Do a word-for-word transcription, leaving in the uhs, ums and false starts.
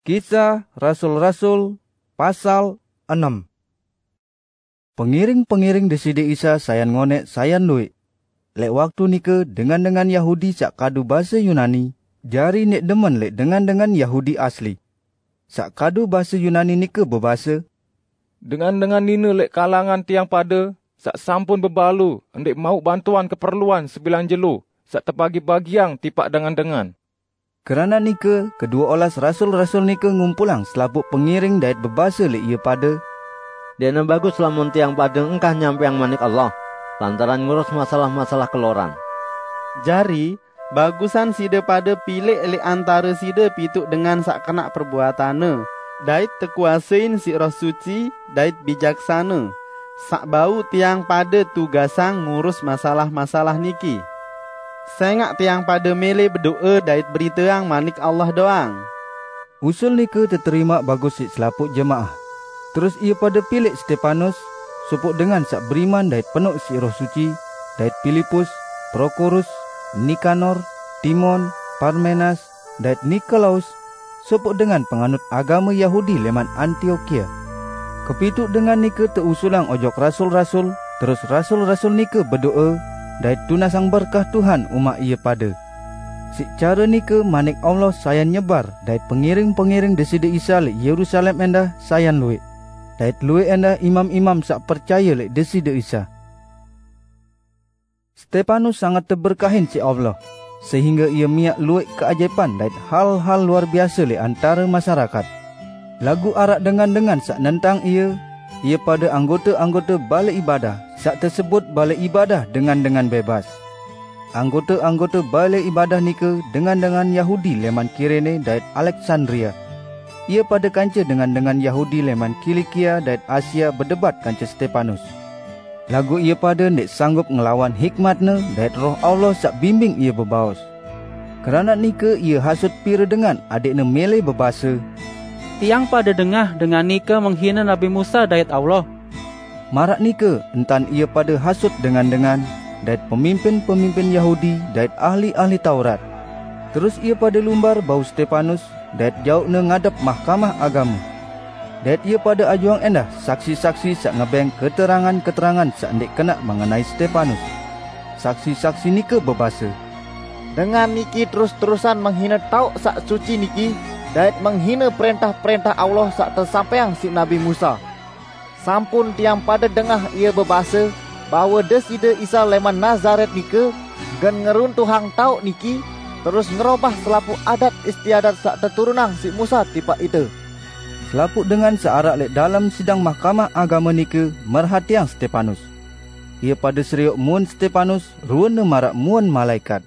Kisah Rasul-Rasul, pasal enam. Pengiring-pengiring Deside Isa sayan ngonek sayan luik. Lek waktu nike dengan-dengan Yahudi sak kadu base Yunani, jari ndeq demen lek dengan-dengan Yahudi asli. Sak kadu base Yunani nike bebase, "Dengan-dengan nine lek kalangan tiang pade saq sampun bebalu ndeq mauq bantuan keperluan sebilang jelo saq tebagi-bagiang tipaq dengan-dengan." Keranaq nike, kedue olas rasul-rasul nike ngumpulang selapuq pengiring dait bebase leq ie pade, "Ndeqne bagus lamun tiang pade engkah nyampeang Manik Allah lantaran ngurus masalah-masalah keloran. Jari, bagusan side pade pileq leq antare side pituq dengan saq kenaq perbuatanne, dait tekuasein siq Roh Suci dait bijaksane, saq bau tiang pade tugasang ngurus masalah-masalah niki. Sengaq tiang pade mele bedoe dait beriteang Manik Allah doang." Usul nike teterimaq bagus siq selapuq jemaah. Terus ie pade pileq Stepanus, sopoq dengan saq beriman dait penoq siq Roh Suci, dait Pilipus, Prokorus, Nikanor, Timon, Parmenas, dait Nikolaus, sopoq dengan penganut agame Yahudi leman Antiokia. Kepituq dengan nike teusulang ojok rasul-rasul, terus rasul-rasul nike bedoe, dait tunasang berkah Tuhan umaq ie pade. Siq care nike Manik Allah sayan nyebar, dait pengiring-pengiring Deside Isa leq Yerusalem endah sayan lueq, dait lueq endah imam-imam saq percaye leq Deside Isa. Stepanus sanget teberkahin siq Allah, sehingge ie miaq lueq keajaipan dait hal-hal luar biase leq antare masyarakat. Laguq araq dengan-dengan saq nentang ie, ie pade anggote-anggote bale ibadah saq tesebut bale ibadah dengan-dengan bebas. Anggote-anggote bale ibadah nike dengan-dengan Yahudi leman Kirene dait Aleksandria. Ie pade kance dengan-dengan Yahudi leman Kilikia dait Asia bedebat kance Stepanus. Laguq ie pade ndeq sanggup ngelawan hikmatne dait Roh Allah saq bimbing ie bebaos. Keranaq nike ie hasut pire dengan adeqne mele bebase, "Tiang pade dengah dengan nike menghine Nabi Musa dait Allah." Maraq nike entan ie pade hasut dengan-dengan, dait pemimpin-pemimpin Yahudi dait ahli-ahli Taurat. Terus ie pade lumbar bau Stepanus, dait jauqne ngadep Mahkamah Agame. Dait ie pade ajuang endah saksi-saksi saq ngebeng keterangan-keterangan saq ndeq kenaq mengenai Stepanus. Saksi-saksi nike bebase, "Dengan niki terus-terusan menghine taoq saq suci niki dait menghine prentah-prentah Allah saq tesampaiang siq Nabi Musa. Sampun tiang pade dengah ie bebase bahwe Deside Isa leman Nazaret nike gen ngeruntuhang taoq niki, terus ngerobah selapuq adat istiadat saq teturunang siq Musa tipaq ite." Selapuq dengan saq araq leq dalem sidang Mahkamah Agame nike merhatiang Stepanus. Ie pade serioq muun Stepanus, ruene maraq muun malaekat.